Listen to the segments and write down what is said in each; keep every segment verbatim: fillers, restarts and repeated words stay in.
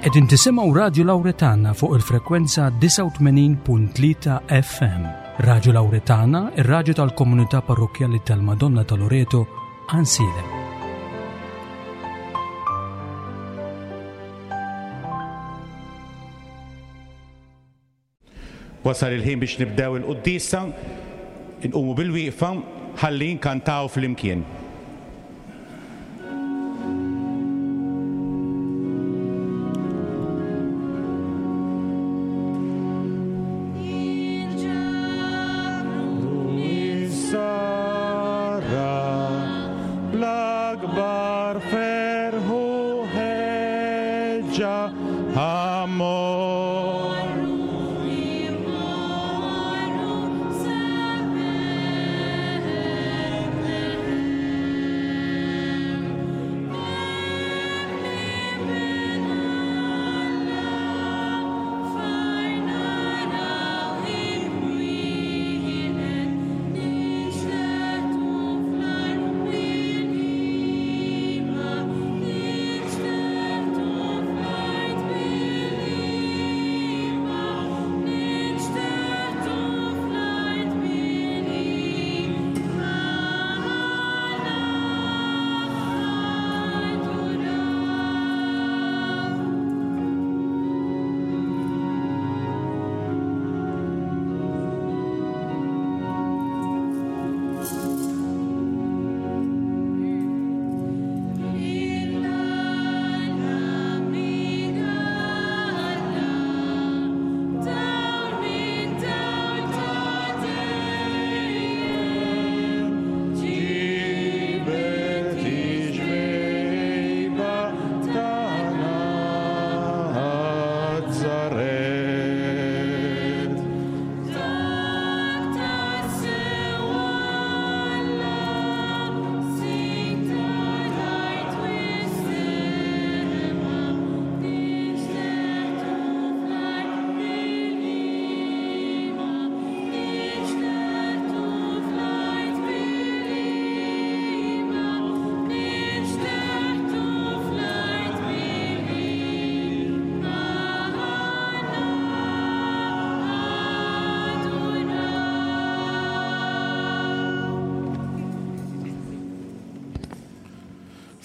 Qegħdin tisimgħu Radju Lawretana fuq il-frekwenza disgħa u tmenin punt tlieta F M. Radju Lawretana, ir-radju tal-komunità parrokkjali tal-Madonna ta' Loreto, Għajnsielem. Wasal il-ħin biex nibdew il-quddiesa, inqumu bil-wieqfa ħalli nkantaw flimkien.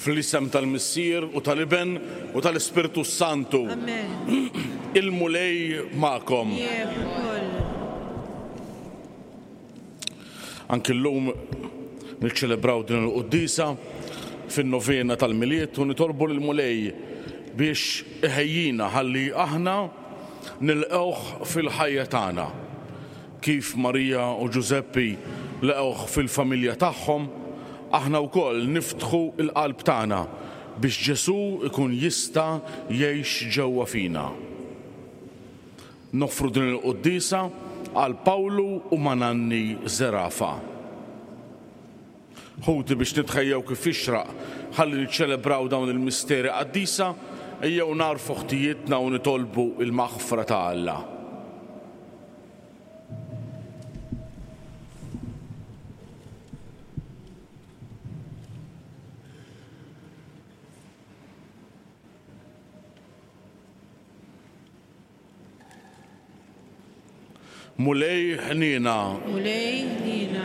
Fl-isem tal-Missier u tal-Iben u tal-Ispirtu Santu. Amen. Il-Mulej magħkom. Anki llum niċċelebraw din il-quddiesa fin-novena tal-Milied u nitolbu lill-Mulej biex iħejjina ħalli aħna nilqgħuh fil-ħajja tagħna. Kif Marija u Ġużeppi laqgħuh fil-familja tagħhom, aħna wkoll niftħu l-qalb tagħna biex Ġesù ikun jista' jgħix ġewwa fina. Noffru din il-quddiesa għal Pawlu u Mananni Zerafa. Ħuti biex nitħejjew kif jixraq ħalli niċċelebraw dawn il-misteri qaddisa, ejjew narfu ħtijietna u nitolbu il-maħfra ta' Alla. Mulej ħniena. Mulej ħniena.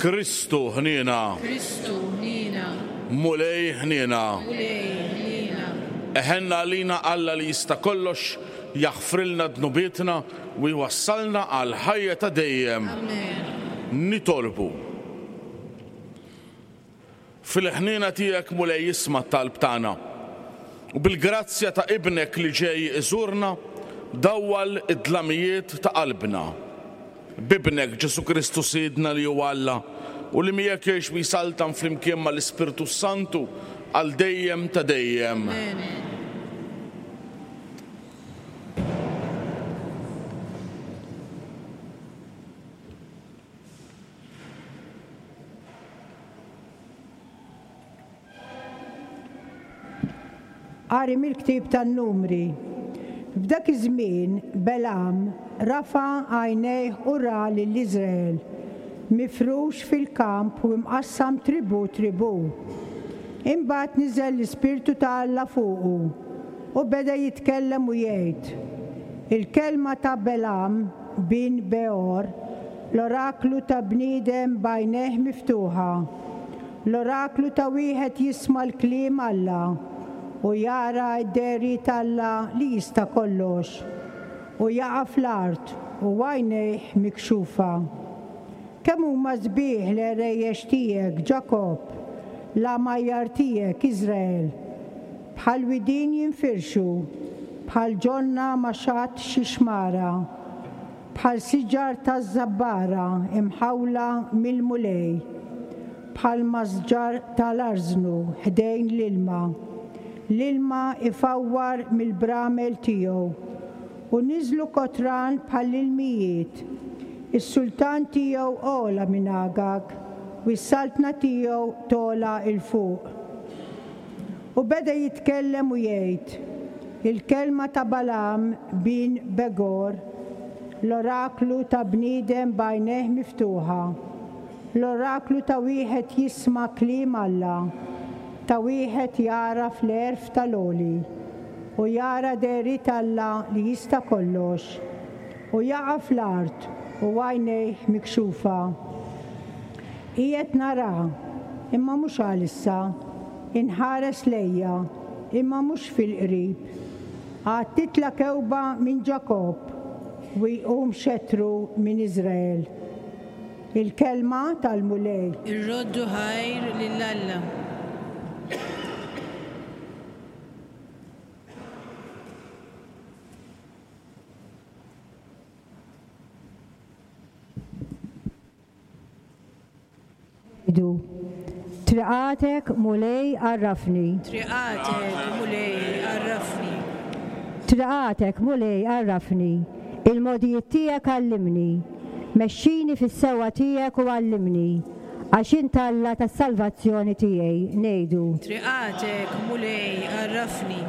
Kristu ħniena. Kristu ħniena. Mulej ħniena. Mulej ħniena. Eħenna għalina Alla li jista' kollox, jaħfrilna dnubietna u jwassalna għal ħajja ta' dejjem. Amen. Nitolbu. Fil-ħniena tiegħek Mulej isma' t-talb tagħna. U bil-grazzja ta' ibnek li ġej iżurna, dawwal id-dlamijiet ta' qalbna. Bibnek Ġesu Kristu Sidna li huwa Alla u li miegħek jgħix u jsaltan flimkien mal-Ispirtu Santu għal dejjem ta' dejjem. Amen. Qari mill-ktieb tan-Numri. F'dak iż-żmien Belam rafa' għajnejh u ra lil Iżrael mifrux fil-kamp u imqassam tribu tribu. Imbagħad niżel l-Ispirtu ta' Alla fuqu. U beda jitkellem u jgħid, il-kelma ta' Belam bin Beor, l-oraklu ta' bniedem b'għajnejh miftuħa, l-oraklu ta' wieħed jisma' l-kliem Alla u jara d-dehriet Alla li jista' kollox, u jaqa' fl-art u għajnejh mikxufa. Kemm huma sbieħ l-għerejjex tiegħek, Ġakobb, l-għamajjar tiegħek, Iżrael, bħal widien jinfirxu, bħal ġonna ma' xatt xi xmara, bħal siġar taż-żabbara imħawla mill-Mulej, bħal masġar tal-arżnu ħdejn l-ilma. L-ilma ifawwar mill-bramel tiegħu, u niżlu kotran bħall-ilmijiet. Is-sultan tiegħu ogħla minn Agag, u s-saltna tiegħu tola 'l fuq. U beda jitkellem u jgħid, il-kelma ta' Balam bin Begor, l-oraklu ta' bniedem b'għajnejh miftuħa, l-oraklu ta' wieħed jisma' kliem Alla, ta' wieħed jagħraf l-għerf tal-għoli, u jara dehriet Alla li jista' kollox, u jaqa' fl-art u għajnejh mikxufa. Qiegħed nara, imma mhux għalissa, inħares lejja, imma mhux fil-qrib. Għad titla' kewba minn Ġakobb u jqum xetru minn Iżrael. Il-kelma tal-Mulej. Irroddu ħajr lil Alla. Triqatek, Mulej, għarrafni. Triqatek, Mulej, għarrafni. Triqatek, Mulej, għarrafni. Il-mogħdijiet tiegħek għallimni. Mexxini fis-sewwa tiegħek u għallimni, għax int Alla tas-salvazzjoni tiegħi. Ngħidu. Triqatek, Mulej, għarrafni.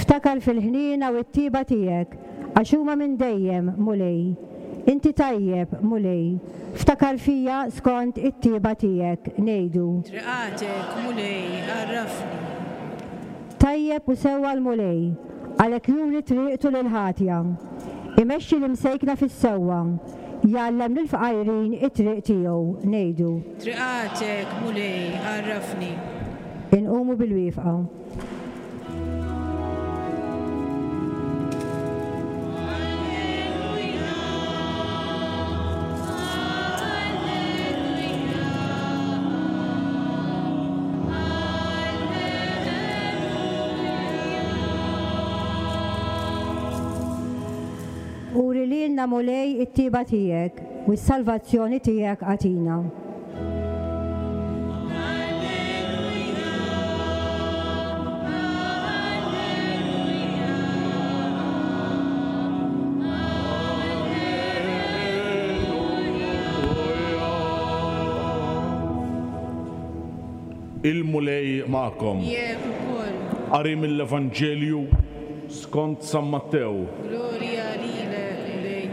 Ftakar fil-ħniena u t-tiba tiegħek, għax huma minn dejjem, Mulej. Inti tajjeb, Mulej. Ftakar fija skont it-tiba tiegħek. Ngħidu. Triqatek, Mulej, għarrafni. Tajjeb u sewwa l-Mulej, għalhekk juri triqtu lil ħatja. Imexxi l-imsejkna fis-sewwa, jgħallem lill-fqajrin it-triq tiegħu. Ngħidu. Triqatek, Mulej, għarrafni. Inqumu bil-wieqfa. Uri lilna, Mulej, it-tiba tiegħek u s-salvazzjoni tiegħek għatina. Il-Mulej magħkom. Jekk ukoll. Qari mill-Evanġelju skont San Mattew. Glorja lilek, Mulej.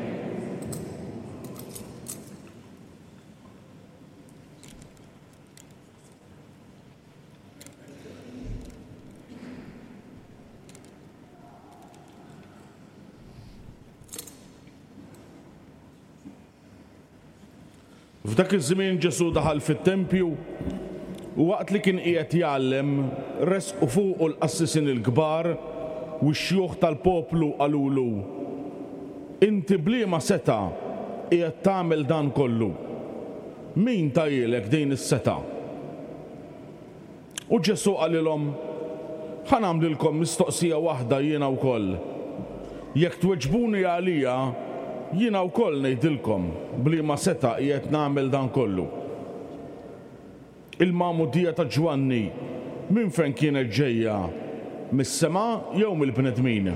F'dak iż-żmien Ġesù daħal fit-tempju u waqt li kien qiegħed jgħallem resqu fuqu l-qassisin il-kbar u x-xjuħ tal-poplu qalulu: Inti bliema seta' qiegħed tagħmel dan kollu? Min tajilek din is-seta'? U Ġesù qalilhom: Ħa nagħmlilkom mistoqsija waħda jiena wkoll. Jekk tweġbuni għalija, jiena wkoll ngħidilkom bliema seta' qiegħed nagħmel dan kollu. Il-magħmudija ta' Ġwanni minn fejn kienet ġejja? Mis-sema jew mill-bnedmin?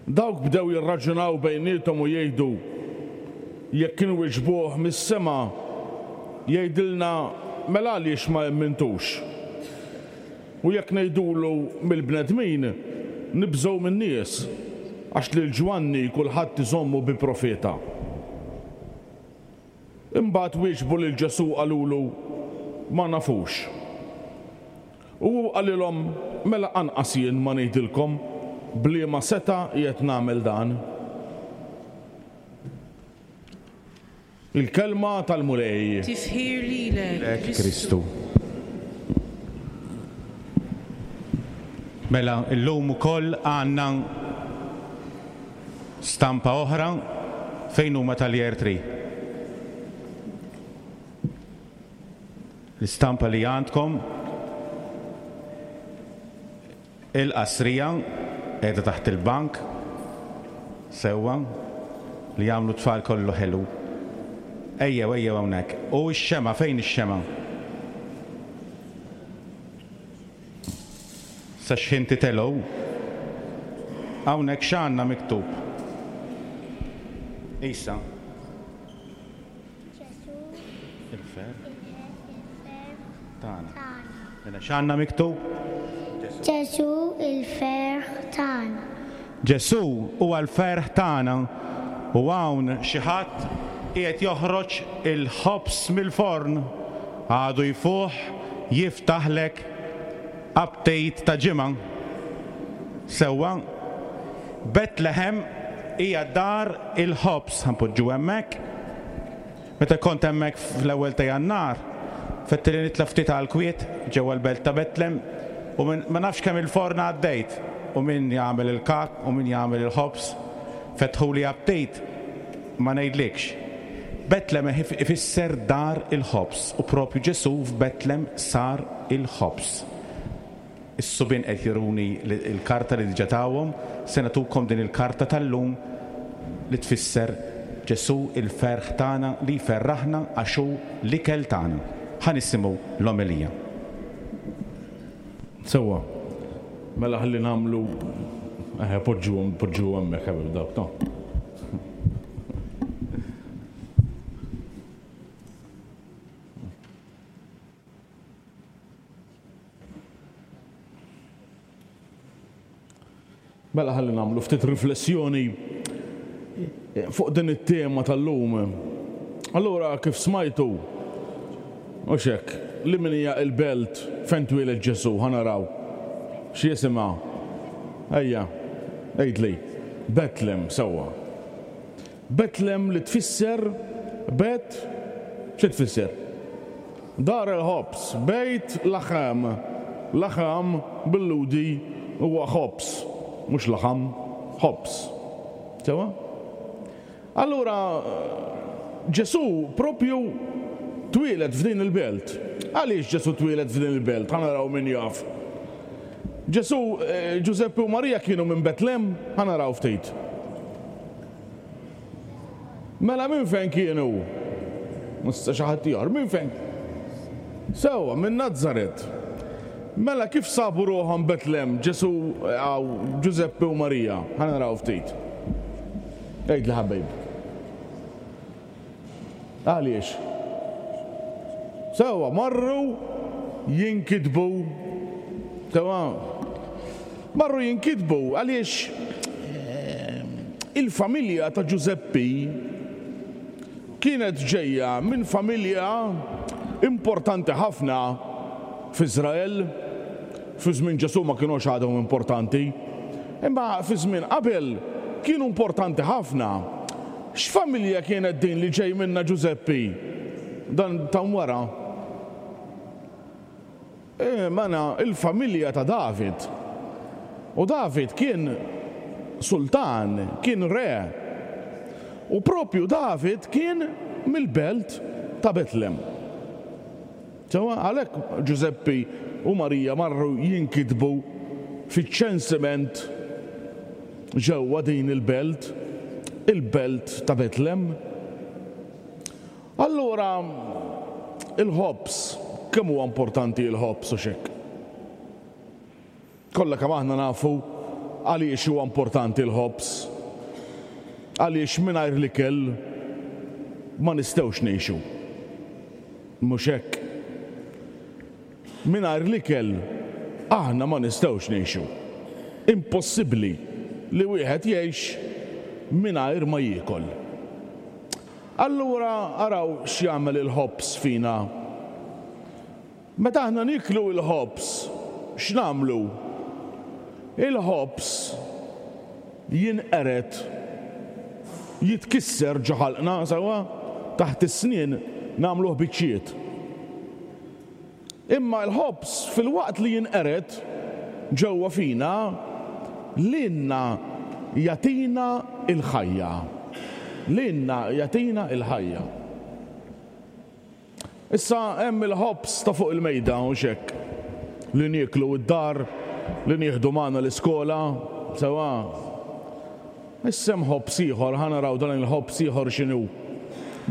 Dawk bdew jirraġunaw bejniethom u jgħidu: Jekk kienu wieġbuh mis-sema, jgħidilna mela għaliex ma emmintux? U jekk ngħidulu mill-bnedmin, nibżgħu min-nies, għax lil Ġwanni kulħadd iżommu bi profeta. Imbagħad wieġbu lil Ġesù qalulu: Ma nafux. U hu qalilhom, mela anqas jien ma ngħidilkom b'liema setgħa qiegħed nagħmel dan. Il-kelma tal-Mulej. Tifħir lilek, Kristu. Mela illum ukoll għandna stampa oħra fejn huma tal-Year three. L-istampa li għandkom il-qasrija qiegħda taħt il-bank sewwa li jagħmlu tfal kollu ħelu. Ejjew, ejjew hawnhekk. U x-xema, fejn ix-xema? Sa x'ħin titelgħu. Hawnhekk x'għandna miktub? Isa. Ġesù Il-ferħ il-ferħ tagħna. tagħna. Mela x'għandna miktub? Ġesù il-ferħ tagħna. Ġesù huwa l-ferħ tagħna u hawn xi ħadd qiegħed joħroġ il-ħobż mill-forn, għadu jfuħ, jiftaħlek update ta' ġimgħa. Sewwa, Betlehem hija dar il-ħobż, ħanpoġġu hemmhekk. Meta kont hemmhekk fl-ewwel ta' Jannar, fetti li nitla' ftit għal kwiet ġewwa l-belt ta' Betlem u min, ma nafx kemm il-forn għaddejt u min jagħmel il-kak u min jagħmel il-ħobż, fetħuli update ma ngħidlikx. Betlem ifisser dar il-ħobż u propju Ġesù f'Betlem sar il-ħobż. Is-subien qed juruni l-karta li diġà tawhom, se nagħtukom din il-karta tal-lum li tfisser Ġesù il-ferħ tagħna li jferraħna għax hu l-ikel tagħna. Ħa nisimgħu l-omelija. Sewwa, mela ħalli nagħmlu, eħe, poġġuhom, poġġuhom hemmhekk qabel dawk, no. Mela ħalli nagħmlu ftit riflessjoni fuq din it-tema tal-lum. Allura kif smajtu, u xek, li min hija il-belt fejn twieled Ġesù, ħa naraw. X'jisimha? Ejja, għidli. Betlem, sewwa. Betlem li tfisser bet, xi tfisser? Dar il-ħobż, bejt laħam. Laħam bil-ludi huwa ħobż, mhux laħam, ħobż. Sewwa? Allura Ġesù propju twieled f'din il-belt. Għaliex Ġesù twieled f'din il-belt? Ħa naraw min jaf. Ġesù, eh, Ġużeppi u Marija kienu minn Betlem, ħa naraw ftit. Mela minn fejn kienu? Mista xi ħadd ieħor, minn fejn? Sewwa, minn Nazaret. Mela kif sabu ruħhom Betlem, Ġesù, għaw, Ġużeppi u Marija? Ħa naraw ftit. Għidli ħabib. Għaliex? Sewwa, marru jinkitbu. Sewwa, marru jinkitbu għaliex, eh, il-familja ta' Ġużeppi kienet ġejja minn familja importanti ħafna f'Iżrael. Fi żmien Ġesù ma kinux għadhom importanti, imma fi żmien qabel kienu importanti ħafna. X'familja kienet din li ġej minna Ġużeppi? Dan ta' wara. E, mana il-familja ta' David. U David kien sultan, kien re. U propju David kien mill-belt ta' Betlem. Sewa, għalhekk Ġużeppi u Marija marru jinkitbu fiċ-ċensiment ġewwa din il-belt, il-belt ta' Betlem. Allura il-ħobż, kemm huwa importanti il-ħobż u xek? Kollha kemm aħna nafu għaliex huwa importanti l-ħobż. Għaliex mingħajr l-ikel ma nistgħux ngħixu. Mhux hekk. Mingħajr l-ikel aħna ma nistgħux ngħixu. Impossibbli li wieħed jgħix mingħajr ma jiekol. Allura araw x'jagħmel il-ħobż fina. Meta aħna niklu il-ħobż, x'nagħmlu? Il-ħobż jinqered, jitkisser ġo ħalqna, sewwa, taħt is-snien nagħmluh biċċiet. Imma l-ħobż fil-waqt li jinqered ġewwa fina, lilna jagħtina l-ħajja. Lilna jagħtina l-ħajja. Issa hemm il-ħobż ta' fuq il-mejda u xek li nieklu d-dar, li nieħdu magħna l-iskola, sewwa. Issa hemm ħobż ieħor, ħa naraw dan il-ħobż ieħor x'inhu.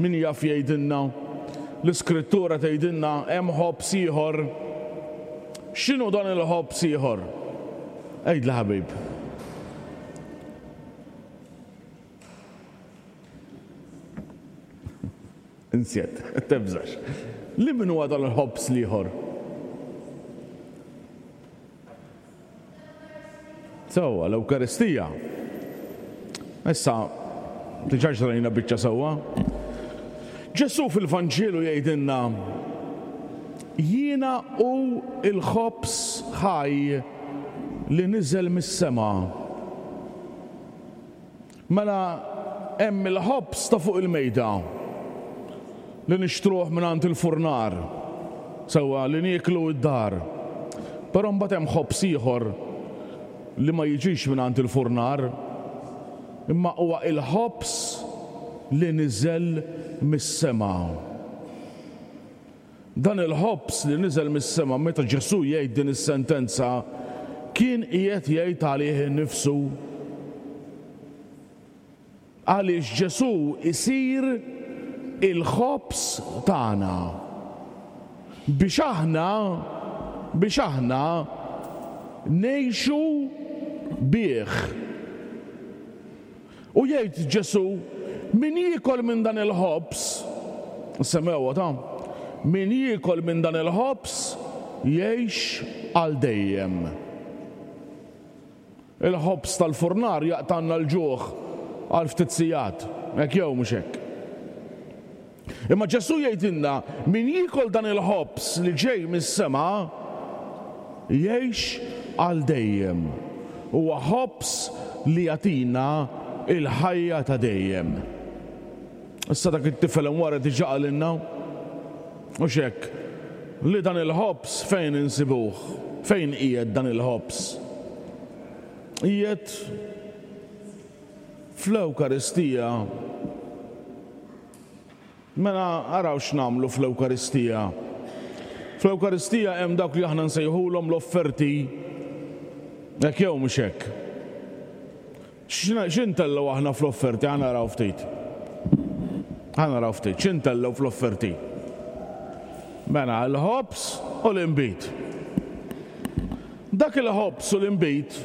Min jaf jgħidilna? L-Iskrittura tgħidilna hemm ħobż ieħor. X'inhu dan il-ħobż ieħor? Għidli ħabib. Insjet, tebżax. Li min huwa dan il-ħobż l-ieħor? Sewwa, l-Ewkaristija. Issa, diġà ġrajna biċċa sewwa. Ġesù fil-Vanġelu jgħidilna, jiena hu l-ħobż ħaj li niżel mis-sema. Mela hemm il-ħobż ta' fuq il-mejda li nixtruh mingħand il-furnar, sewwa li nieklu d-dar. Però mbagħad hemm ħobż ieħor li ma jiġix mingħand il-furnar, imma huwa il-ħobż li niżel mis-sema. Dan il-ħobż li niżel mis-sema, meta Ġesù jgħid din is-sentenza, kien qiegħed jgħid għalih innifsu. Għaliex Ġesù isir il-ħobż tagħna biex aħna biex aħna ngħixu bih. U jgħid Ġesù, min jiekol minn dan il-ħobż, semmewha ta', min jiekol minn dan il-ħobż jgħix għal dejjem. Il-ħobż tal-furnar jaqtanna l-ġuħ għal ftit sigħat, hekk jew mhux hekk. Imma Ġesù jgħidilna, min jiekol dan il-ħobż li ġej mis-sema jgħix għal dejjem. Huwa ħobż li jagħtina il-ħajja ta' dejjem. Issa dak it-tifel hemm wara diġà qalilna, u x'hekk, li dan il-ħobż fejn insibuh? Fejn qiegħed dan il-ħobż? Qiegħed fl-Ewkaristija. Mela araw x'nagħmlu fl-Ewkaristija. Fl-Ewkaristija hemm dawk li aħna nsejħulhom l-offerti. Hekk jew mhux hekk? X'intellgħu aħna fl-offerti? Ħa naraw ftit. Ħa naraw ftit, x'intellgħu fl-offerti? Mela l-ħobż u l-inbid. Dak il-ħobż u l-inbid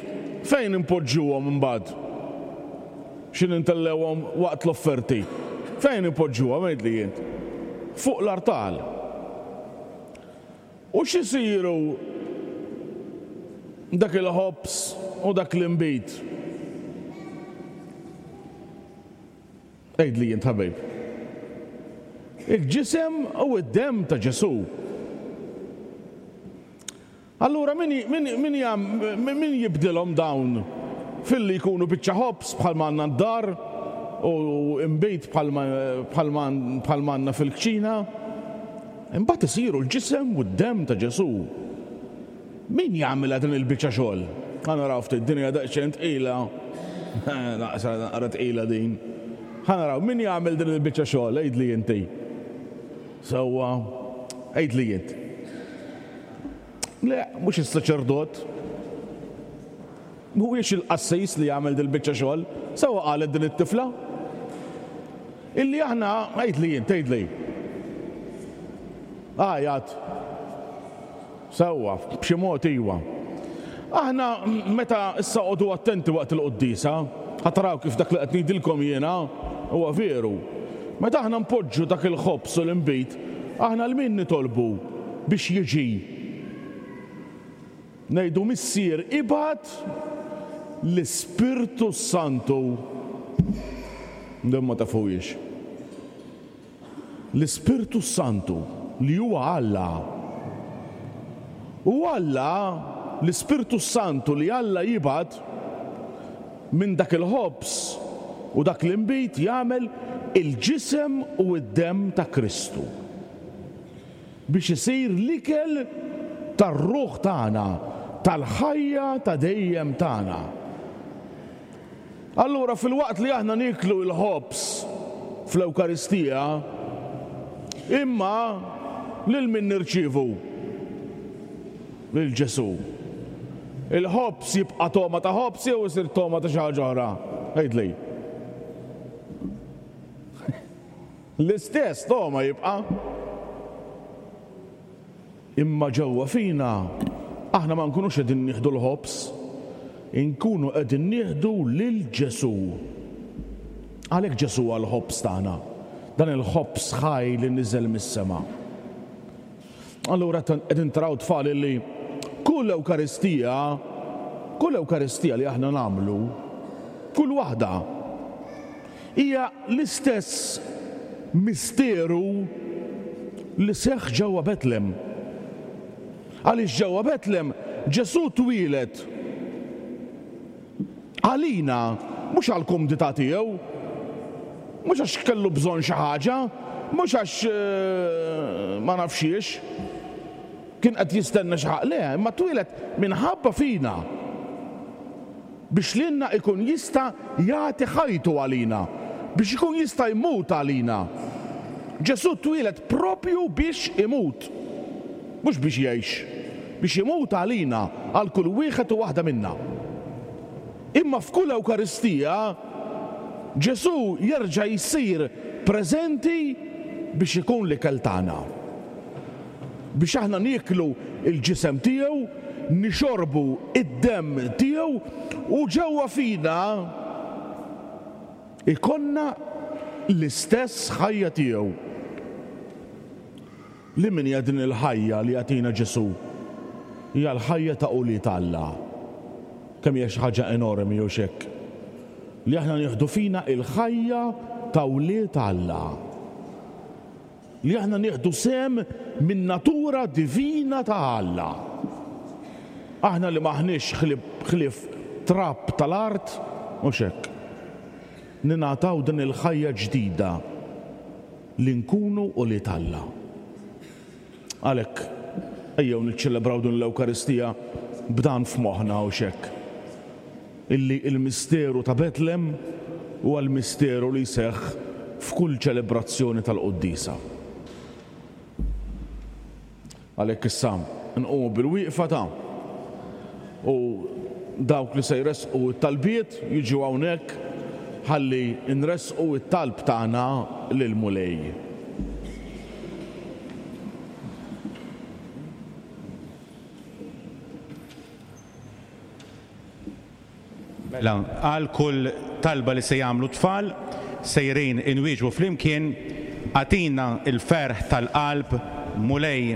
fejn impoġġuhom imbagħad? X'in intellewhom waqt l-offerti? Fejn impoġġuhom għidli int? Fuq l-artal. U x'isiru dak il-ħobż u dak l-inbid? Għidli int ħabib. Il-ġisem u d-demm ta' Ġesù. Allura min, min, min, min jibdilhom dawn filli jkunu biċċa ħobż bħalma għandna d-dar u inbid bħalma għandna fil-kċina? Imbagħad isiru l-ġisem u d-demm ta' Ġesù. Min jagħmilha din il-biċċa xogħol? Ħa naraw ftit, din hija daqsxejn tqila. Naqsa naqra tqila din. Ħa naraw min jagħmel din il-biċċa xogħol, għidli inti. Sewwa, għidli int. Le, mhux is-saċerdot. Mhuwiex il-qassis li jagħmel din il-biċċa xogħol. Sewwa qalet din it-tifla. Illi aħna, għidli int, għidli. Għajat. Sewwa, b'xi mod iwa. Aħna meta issa qogħdu attenti waqt il-quddiesa, ħa taraw kif dak li qed ngħidilkom jiena huwa veru. Meta aħna npoġġu dak il-ħobż u l-inbid, aħna l min nitolbu biex jiġi? Ngħidu Missier ibgħat l-Ispirtu Santu. Din ma tafuhiex. L-Ispirtu Santu li huwa Alla. U Alla l-Ispirtu Santu li Alla jibgħat minn dak il-ħobż u dak l-inbid jagħmel il-ġisem u d-demm ta' Kristu biex isir l-ikel tar-ruħ tagħna, tal-ħajja ta' dejjem tagħna. Allura fil-waqt li aħna nieklu l-ħobż fl-Ewkaristija, imma lil min nirċievu? Lil Ġesù. Il-ħobż jibqa' togħma ta' ħobż jew isir togħma ta' xi ħaġa oħra? Għidli. L-istess togħma jibqa'. Imma ġewwa fina aħna ma nkunux qegħdin nieħdu l-ħobż, inkunu qegħdin nieħdu lil Ġesù. Għalhekk Ġesù huwa l-ħobż tagħna, dan il-ħobż ħaj li niżel mis-sema. Allura qegħdin taraw tfal li kull Ewkaristija, kull Ewkaristija li aħna nagħmlu, kull waħda hija l-istess misteru li seħħ ġewwa Betlem. Għaliex ġewwa Betlem Ġesù twieled għalina, mhux għall-kumdità tiegħu, mhux għax kellu bżonn xi ħaġa, mhux għax ma nafxiex kien qed jistenna xi ħaġa, le, imma twieled minħabba fina biex lilna ikun jista' jagħti ħajtu għalina, biex ikun jista' jmut għalina. Ġesù twieled propju biex imut, mhux biex jgħix, biex imut għalina, għal kull wieħed u waħda minna. Imma f'kull Ewkaristija Ġesù jerġa' jsir preżenti biex ikun l-ikel tagħna, biex aħna nieklu l-ġisem tiegħu, nixorbu id-demm tiegħu u ġewwa fina ikonna l-istess ħajja tiegħu. Li min hija din il-ħajja li jagħtina Ġesù? Hija l-ħajja ta' ulied Alla. Kemm hija xi ħaġa enormi u xekk li aħna nieħdu fina il-ħajja ta' wlied Alla, li aħna nieħdu sehem min natura divina ta' Alla. Aħna li m'aħniex ħlief trab tal-art u xekk, ningħataw din il-ħajja ġdida li nkunu ulied Alla. Għalhekk ejjew niċċelebraw din l-Ewkaristija b'dan f'moħħna u xekk, illi il-misteru ta' Betlem huwa l-misteru li jseħħ f'kull ċelebrazzjoni tal-Quddiesa. Għalhekk issa nqumu bil-wieqfa ta' u dawk li se jressqu t-talbiet jiġu hawnhekk ħalli nressqu t-talb tagħna lill-Mulej. Mela, għal kull talba li se jagħmlu tfal, sejrin inwieġbu flimkien, agħtina l-ferħ tal-qalb Mulej.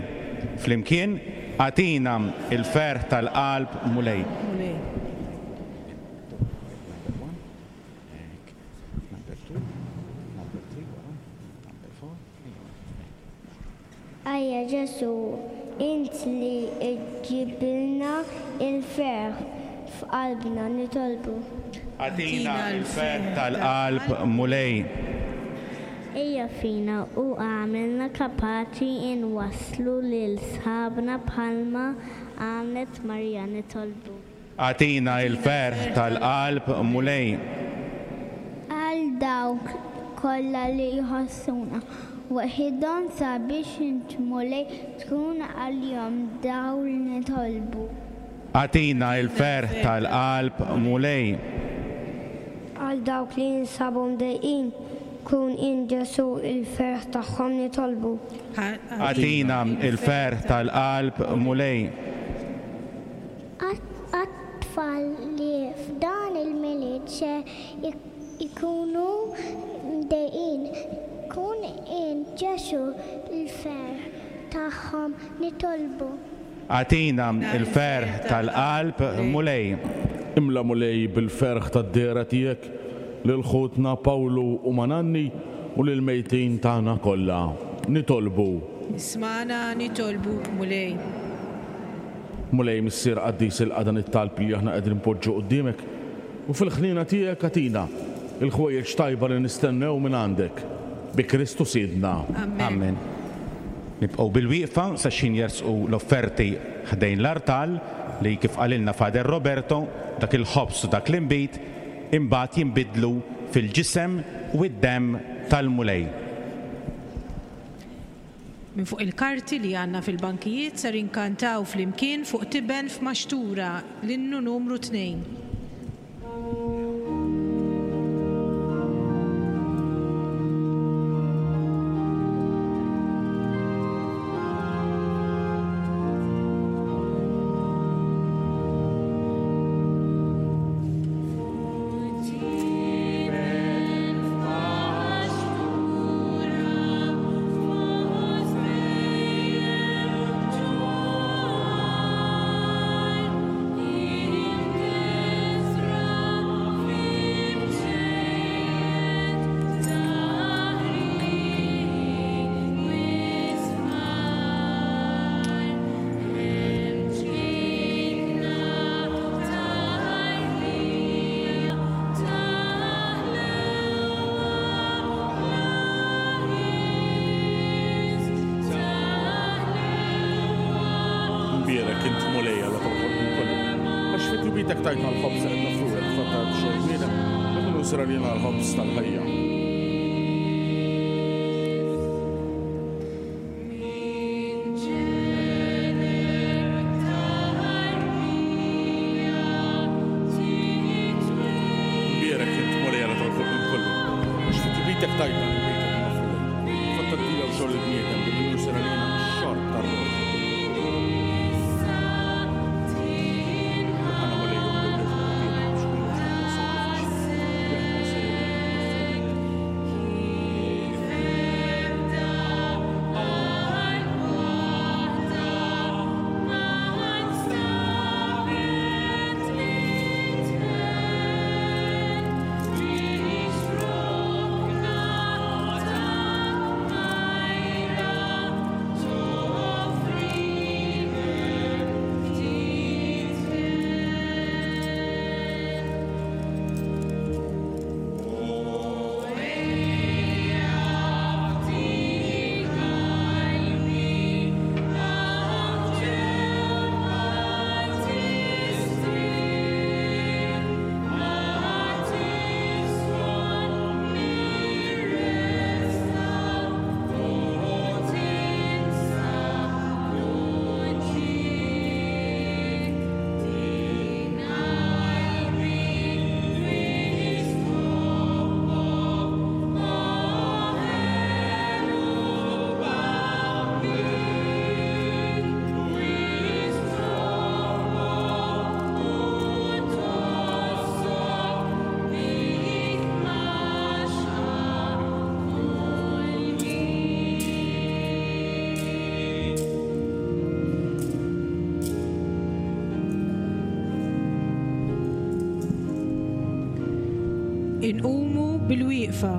Flimkien, agħtina l-ferħ tal-qalb Mulej. Ejja Ġesù, int li ġġibilna il-ferħ f'qalbna, nitolbu. Agħtina l-ferħ tal-qalb Mulej. Ejja fina u għamilna kapaċi nwasslu lil sħabna bħalma għamlet Marija, nitolbu. Agħtina l-ferħ tal-qalb Mulej. Għal dawk kollha li jħossuna waħidhom sabiex int Mulej tkun għalihom dawl, nitolbu. Agħtina l-ferħ tal-qalb Mulej. Għal dawk li jinsabu mdejqin, kun int Ġesù il-ferħ tagħhom, nitolbu. Agħtina l-ferħ tal-qalb Mulej. Għat-tfal li f'dan il-Milied se ikunu mdejqin, kun int Ġesù l-ferħ tagħhom, nitolbu. Agħtina l-ferħ tal-qalb Mulej. Imla Mulej bil-ferħ tad-dehra tiegħek lil ħutna Pawlu u Mananni u lil mejtin tagħna kollha. Nitolbu. Ismagħna nitolbu Mulej. Mulej Missier Qaddis, ilqa' dan it-talb li aħna qegħdin npoġġu quddiemek u fil-ħniena tiegħek agħtina il-ħwejjeġ tajba li nistennew minn għandek. Bi Kristu Sidna. Amen. Nibqgħu bil-wieqfa sa xin jersqu l-offerti ħdejn l-artal li kif qalilna Father Roberto, dak il-ħobż u dak l-inbid imbagħad jinbidlu fil-ġisem u d-demm tal-Mulej. Minn fuq il-karti li għandna fil-bankijiet ser inkantaw flimkien fuq Tiben f'Maxtura, l-innu numru tnejn. Mbierek int Mulej Alla tal-ħolqien kollu. Għax fi tjubitek tajtna l-ħobż li qed nofrulek, fattar xogħol bniedem, li minnu sar għalina l-ħobż tal-ħajja. Mbierek int Mulej Alla tal-ħolqien kollu. Għax fi tjubitek tajtna l-inbid qed nofrulek, fattar tiegħu xogħol il-bniedem li minnu sar għalina x-xorb tar-ruħ. Inqumu bil-wieqfa.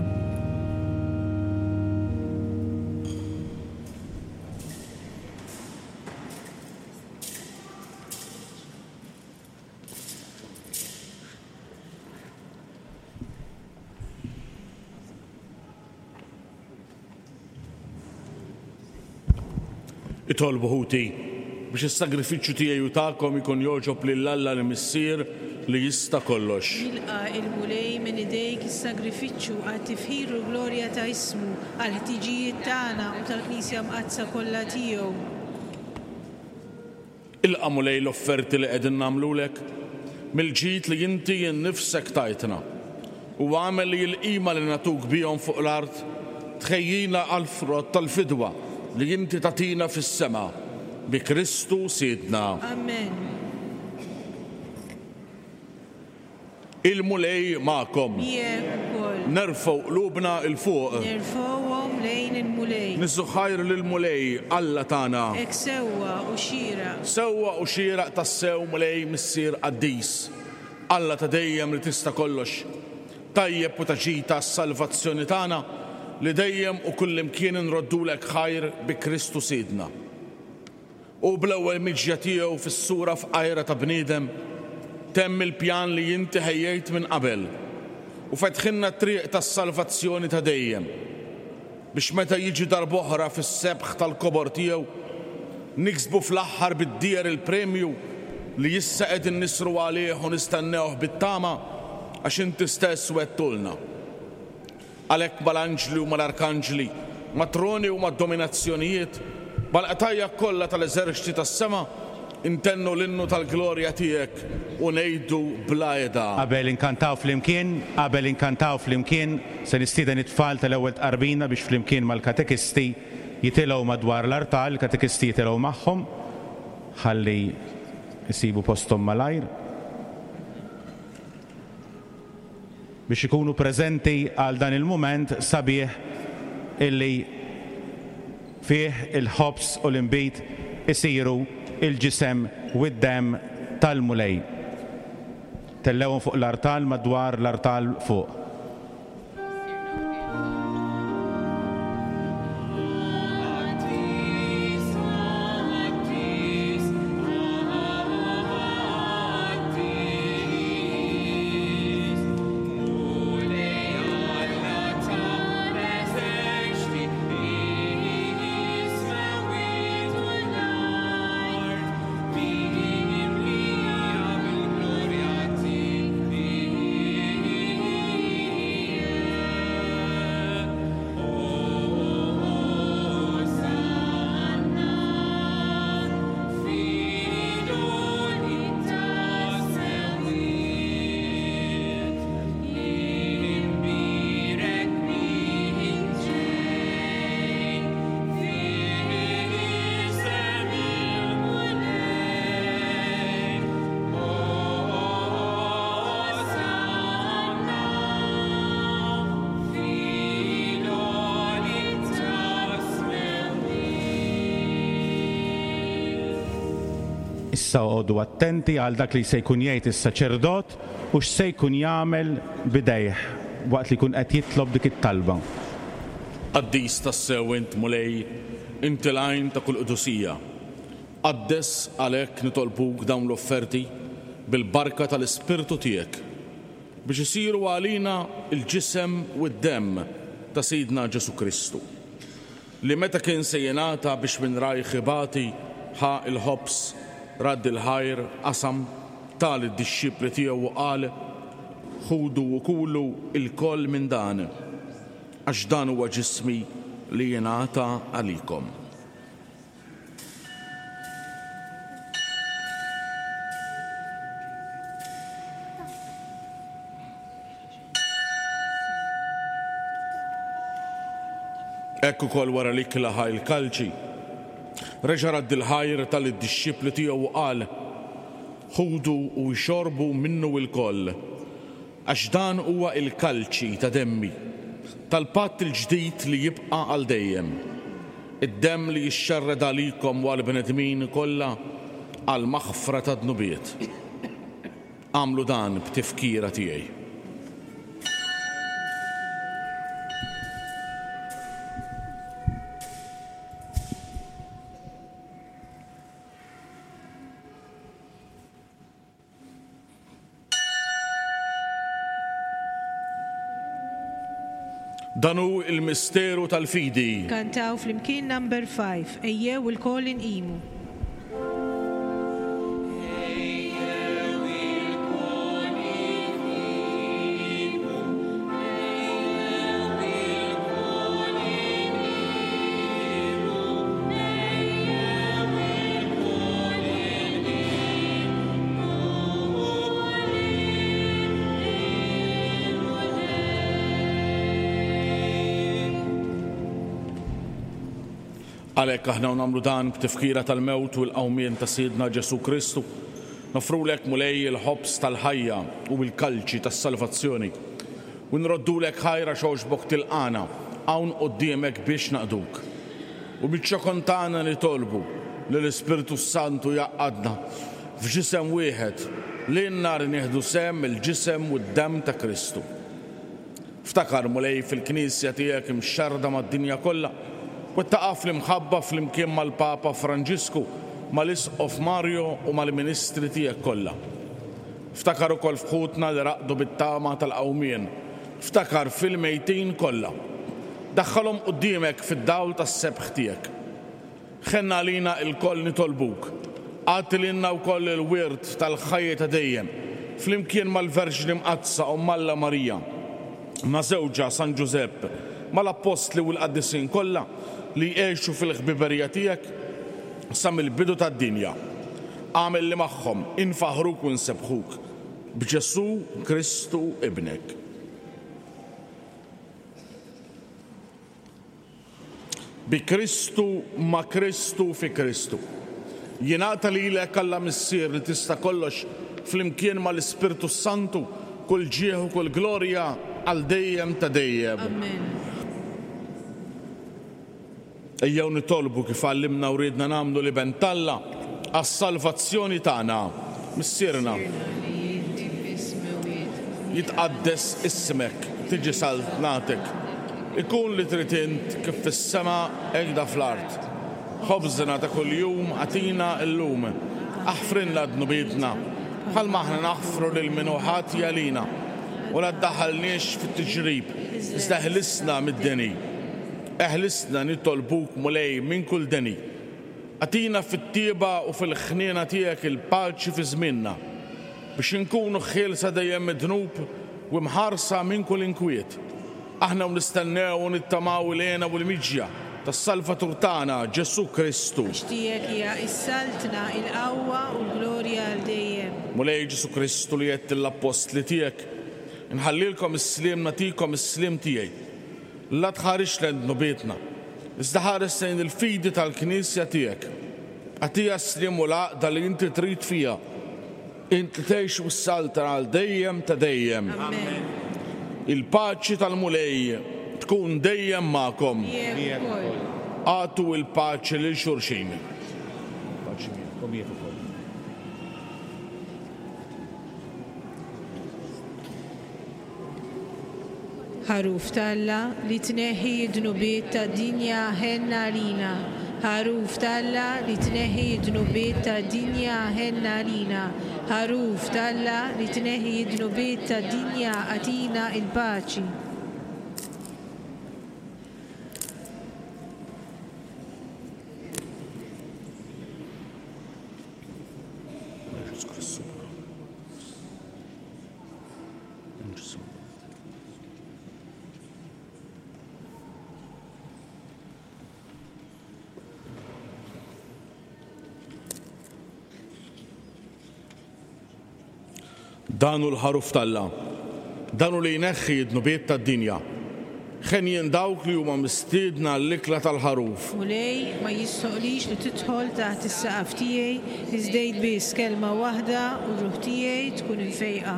Itolbu ħuti biex is-sagrifiċċju tiegħi u tagħkom ikun jogħġob lil Alla l-Missier li jista' kollox. Jilqa' il-Mulej minn idejk is-sagrifiċċju għat-tifħir u l-glorja ta' ismu, għall-ħtiġijiet tagħna u tal-Knisja Mqaddsa kollha tiegħu. Ilqa' Mulej l-offerti li qegħdin nagħmlulek mill-ġid li inti nnifsek tajtna u għamel li l-qima li nagħtuk bihom fuq l-art tħejjina għall-frott tal-fidwa li inti tagħtina fis-sema bi Kristu Sidna. Amen. Il-Mulej magħkom. Miegħek ukoll. Nerfgħu qlubna 'l fuq. Nerfgħuhom lejn il-Mulej. Niżżu ħajr lill-Mulej Alla tagħna. Hekk sewwa u xieraq. Sewwa u xieraq tassew Mulej Missier Qaddis. Alla ta' dejjem li tista' kollox. Tajjeb u taġita s-salvazzjoni tagħna li dejjem u kullimkien inroddulek ħajr bi Kristu Sidna. U bl-ewwel miġja tiegħu fis-sura f'qajra ta' bniedem temm il-pjan li inti ħejjejt minn qabel u fetħilna t-triq tas-salvazzjoni ta' dejjem biex meta jiġi darb'oħra fis-sebħ tal-kobor tiegħu niksbu fl-aħħar bid-dieher il-premju li issa qegħdin nisru għalih u nistennewh bit-tama għax inti stess wettulna. Għalhekk mal-anġli u mal-arkanġli, mat-troni u mad-dominazzjonijiet, mal-qtajja kollha tal-eżerċti tas-sema, intennu l-innu tal-glorja tiegħek u ngħidu bla heda. Qabel inkantaw flimkien, qabel inkantaw flimkien, se nistieden it-tfal tal-ewwel tqarbina biex flimkien mal-katekisti jitilgħu madwar l-artal, il-katekisti jitilgħu magħhom ħalli jsibu posthom malajr biex ikunu preżenti għal dan il-mument sabiħ illi fih il-ħobż u l-inbid isiru il-ġisem u d-demm tal-Mulej. Tellewhom fuq l-artal madwar l-artal fuq. Issa oqogħdu attenti għal dak li se jkun jgħid is-saċerdot u x'se jkun jagħmel b'idejh waqt li jkun qed jitlob dik it-talba. Qaddis tassew int Mulej, inti l-għajn ta' kull qdusija. Qaddes għalhekk nitolbuk dawn l-offerti bil-barka tal-Ispirtu tiegħek biex isiru għalina il-ġisem u d-demm ta' Sidna Ġesu Kristu, li meta kien se jingħata biex minn rajh ibati ħa il-ħobż, radd il-ħajr, qasam, ta lid-dixxipli tiegħu u qal: Ħudu u kulu lkoll minn dan, għax dan huwa ġismi li jingħata għalikom. Hekk ukoll wara li klaħa il-kalċi, reġa' radd il-ħajr tal-dixxipli tiegħu u qal: Ħudu u jxorbu minnu lkoll, għax dan huwa il-kalċi ta' demmi, tal-patt il-ġdid li jibqa' għal dejjem. Id-demm li jixxerred għalikom u għall-bnedmin kollha għal maħfra ta' dnubiet. Għamlu dan b'tifkira tiegħi. Dan hu il-misteru tal-fidi. Kantaw flimkien number five, ejjew ilkoll inqimu. Għalhekk aħna nagħmlu dan b'tifkira tal-mewt u l-qawmien ta' Sidna Ġesu Kristu. Nofrulek Mulej il-ħobż tal-ħajja u l-kalċi tas-salvazzjoni. U nroddulek ħajra xogħxbok tilqana hawn quddiemek biex naqduk. U biċ-ċokon tagħna nitolbu li l-Ispirtu Santu jgħaqqadna f'ġisem wieħed li n-nar nieħdu sehem il-ġisem u d-demm ta' Kristu. Ftakar Mulej fil-Knisja tiegħek imxerrda mad-dinja kollha u taqaf l-imħabba flimkien mal-Papa Franġisku, mal-Isqof Mario u mal-ministri tiegħek kollha. Ftakar ukoll f'ħutna li raqdu bit-tama tal-qawmien. Ftakar fil-mejtin kollha. Daħħalhom quddiemek fid-dawl tas-sebħ tiegħek. Ħenna għalina lkoll nitolbuk. Agħti lilna wkoll il-wirt tal-ħajja ta' dejjem, flimkien mal-Verġni Mqaddsa Omm Alla Marija, ma' żewġha San Ġużepp, mal-Appostli u l-Qaddisin kollha li jgħixu fil-ħbiberija tiegħek sa mill-bidu tad-dinja. Agħmel li magħhom infaħruk u nsebbħuk b'Ġesù Kristu ibnek. Bi Kristu, ma' Kristu, fi Kristu. Jingħata lilek Alla Missier li tista' kollox flimkien mal-Ispirtu Santu kull ġieħ u kull glorja għal dejjem ta' dejjem. Amen. Ejjew nitolbu kif għallimna u riedna nagħmlu l-Iben t'Alla għas-salvazzjoni tagħna. Missierna, jitqaddes ismek, tiġi saltnatek, ikun li trid int kif fis-sema hekk da fl-art. Ħobżna ta' kuljum agħtina llum, aħfrilna dnubietna, bħalma aħna naħfru lil min hu ħati għalina, u la ddaħħalniex fit-tiġrib, iżda ħlisna mid-deni. Eħlisna nitolbuk Mulej minn kull deni. Agħtina fit-tieba u fil-ħniena tiegħek il-paċi fi żmienna, biex inkunu ħielsa dejjem mid-dnub u mħarsa minn kull inkwiet. Aħna u nistennew u nittamaw il-hena u l-miġja tas-Salvatur tagħna Ġesù Kristu. Għax tiegħek hija s-saltna, il-qawwa u l-glorja għal dejjem. Mulej Ġesù Kristu li għedt lill-appostli tiegħek, inħallilkom is-sliem nagħtikom is-sliem tiegħi. La tħarisx lejn dnubietna, iżda ħares lejn il-fidi tal-Knisja tiegħek. Agħtiha s-sliem u l-għaqda li inti trid fiha. Int li tgħix u s-saltna għal dejjem ta' dejjem. Amen. Il-paċi tal-Mulej tkun dejjem magħkom. Miegħek ukoll. Agħtu l-paċi lil xulxin. Paċi miegħek u miegħek ukoll. Ħaruf t'Alla li tneħħi d-dnubiet tad-dinja ħenna għalina. Ħaruf t'Alla li tneħħi d-dnubiet tad-dinja ħenna għalina. Ħaruf t'Alla li tneħħi d-dnubiet tad-dinja agħtina l-paċi. Dan hu l-ħaruf t'Alla, dan hu li jneħħi d-dnubiet tad-dinja. Ħenjin dawk li huma mistiedna l-ikla tal-ħaruf. Mulej, ma jistħoqlix li tidħol taħt is-saqaf tiegħi, iżda għid biss kelma waħda u r-ruħ tiegħi tkun imfejqa.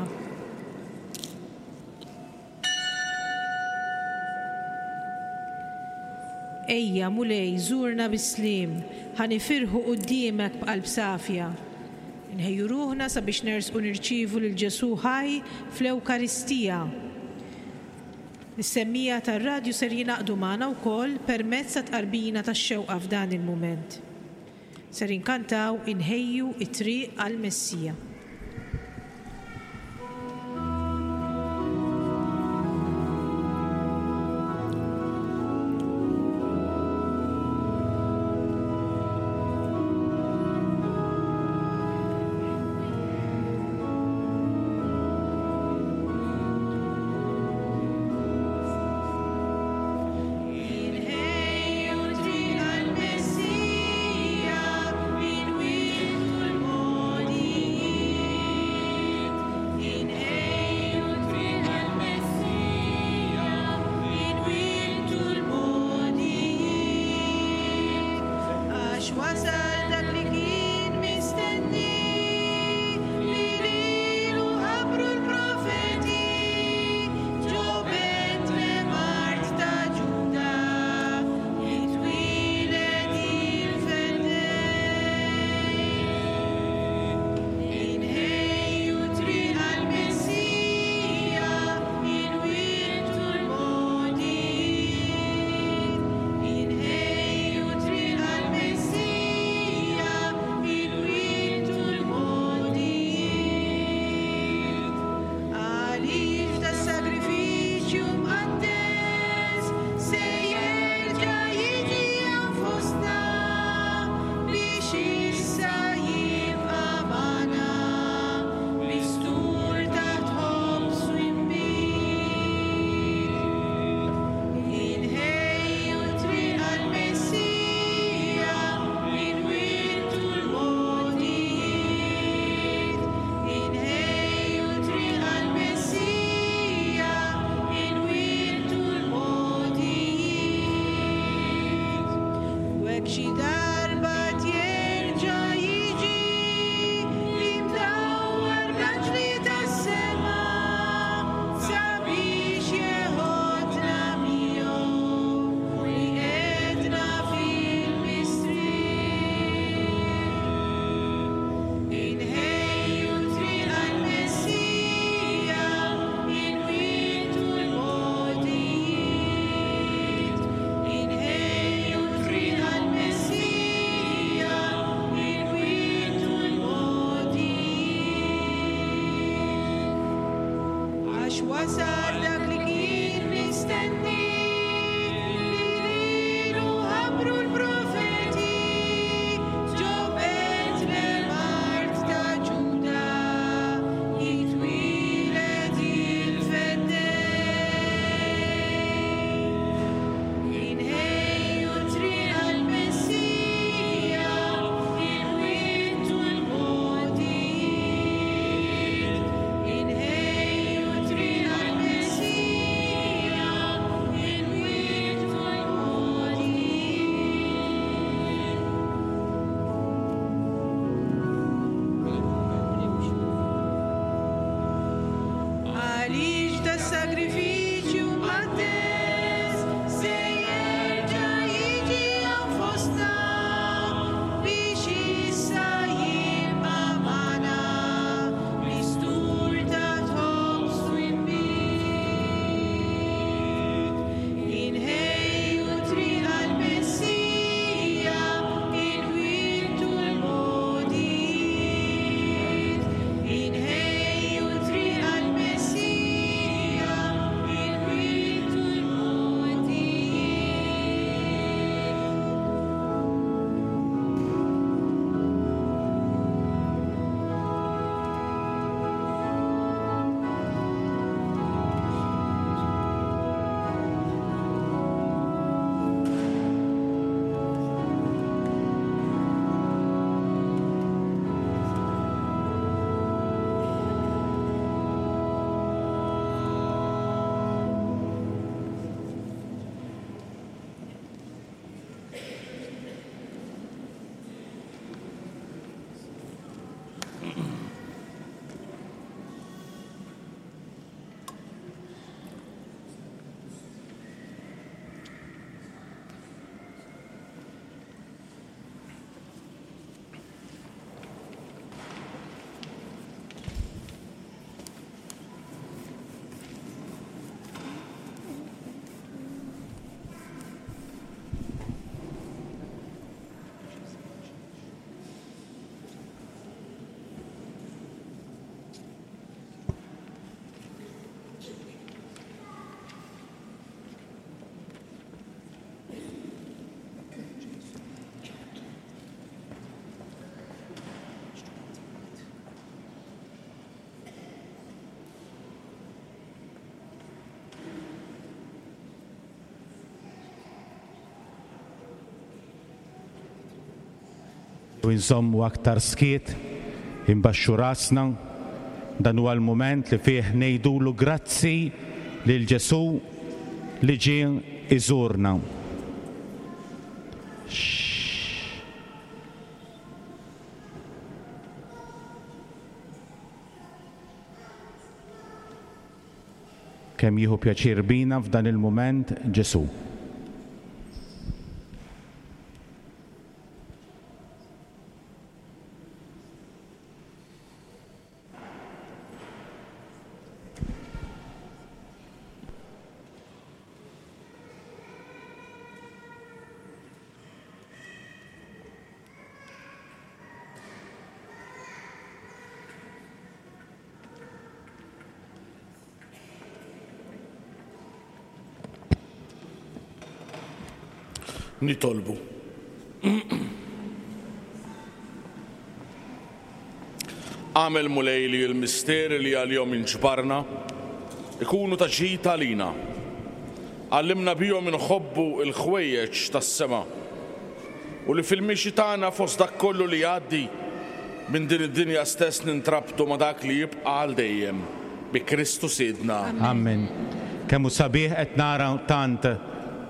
Ejja, Mulej, żurna bis-sliem, ħa nifirħu quddiemek b'qalb safja. Nħejju ruħna sabiex nersqu nirċievu lil Ġesù ħaj fl-Ewkaristija. Is-semmija tar-radju ser jingħaqdu magħna wkoll permezz ta' tqarbina tax-xewqa f'dan il-mument. Ser inkantaw inħejju it-triq għall-Messija. Wasal dak li kien mistenni, li lilu ħabbru l-profeti, ġo Betlem art ta' Ġuda, jitwieled il-Feddej. Inħejju triq għall-Messija, inwittu l-mogħdijiet. Inħejju triq għall-Messija, inwittu l-mogħdijiet. Għaliex das-sagrifiċċju mqaddes se jerġa' jiġi hawn fostna biex issa jibqa' magħna mistur ta' ħobż u nbid. Inħejju triq għall-Messija, inwittu l-mogħdijiet. Inħejju triq għall-Messija, inwittu l-mogħdijiet. U nżommu aktar skiet, imbaxxu rasna, dan huwa l-mument li fih ngħidulu grazzi lil Ġesù li ġie iżurna. Kemm jieħu pjaċir bina f'dan il-mument Ġesù. Nitolbu. Għamel Mulej li l-misteri li għalihom inġbarna ikunu ta' ġid għalina. Għallimna bihom inħobbu l-ħwejjeġ tas-sema u li fil-mixi tagħna fost dak kollu li jgħaddi minn din id-dinja stess nintrabtu ma' dak li jibqa' għal dejjem bi Kristu Sidna. Amen. Kemm hu sabiħ qed nara tant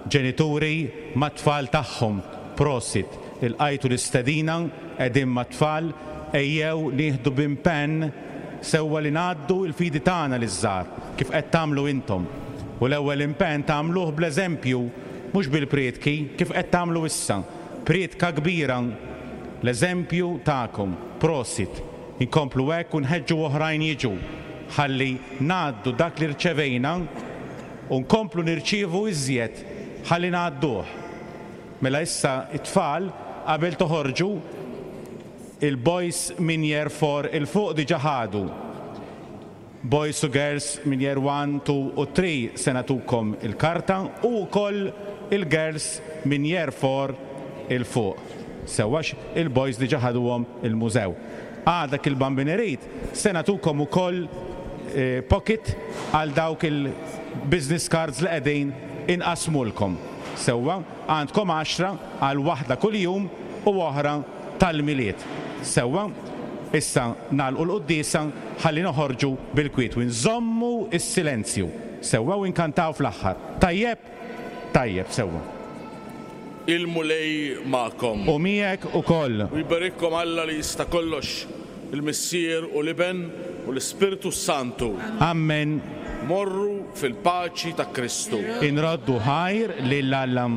ġenituri mat-tfal tagħhom. Prosit, ilqajtu l-istedina qegħdin mat-tfal, ejjew nieħdu b'impenn sewwa li ngħaddu l-fidi tagħna liż-żgħar kif qed tagħmlu intom. U l-ewwel impenn tagħmluh bl-eżempju, mhux bil-prietki, kif qed tagħmlu issa. Prietka kbira, l-eżempju tagħkom. Prosit. Inkomplu hekk u nħeġġu oħrajn jiġu ħalli ngħaddu dak li rċevejna u nkomplu nirċievu iżjed ħalli ngħadduh. Mela issa it-tfal qabel toħorġu il-boys minn year four il-fuq diġà ħadu. Boys u girls minn year one, two u three se nagħtukom il-karta u wkoll il-girls minn year four 'il fuq. Sewwa, għax il-boys diġà ħaduhom il-mużew. Għada il-Bambin irid se nagħtukom ukoll eh, pocket għal dawk il-business cards li qegħdin inqasmulkom. Sewwa, għandkom għaxra għal waħda kuljum u oħra tal-Milied. Sewwa, issa nagħlqu l-quddiesa ħalli noħorġu bil-kwiet u nżommu s-silenzju. Sewwa, u nkantaw fl-aħħar. Tajjeb? Tajjeb, sewwa. Il-Mulej magħkom. U miegħek ukoll. U jberikkom Alla li jista' kollox, il-Missier u l-Iben u l-Ispirtu Santu. Amen. Morru fil-paċi ta' Kristu. Inroddu ħajr lil Alla.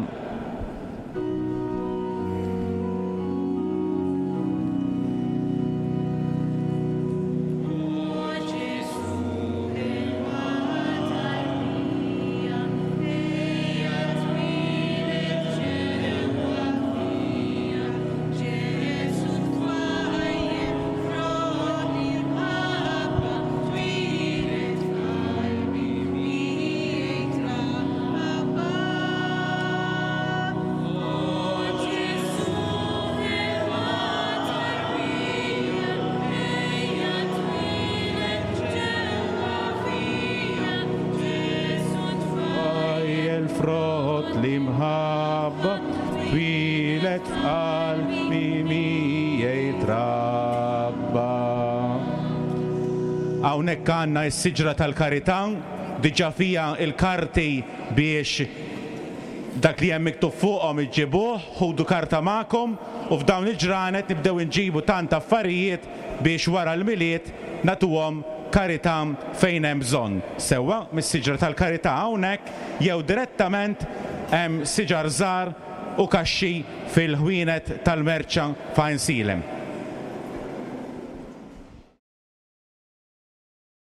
Frott l-imħabba twieled f'qalbi miegħi trabba. Hawnhekk għandna s-siġra tal-karità, diġà fiha il-karti biex dak li hemm miktub fuqhom iġġibuh, ħudu karta magħkom u f'dawn il-ġranet nibdew inġibu tant affarijiet biex wara l-Milied nagħtuhom karità fejn hemm bżonn. Sewwa mis-siġra tal-karità hawnhekk jew direttament hemm siġar żgħar u kaxxi fil-ħwienet tal-merċa f'Għajnsielem.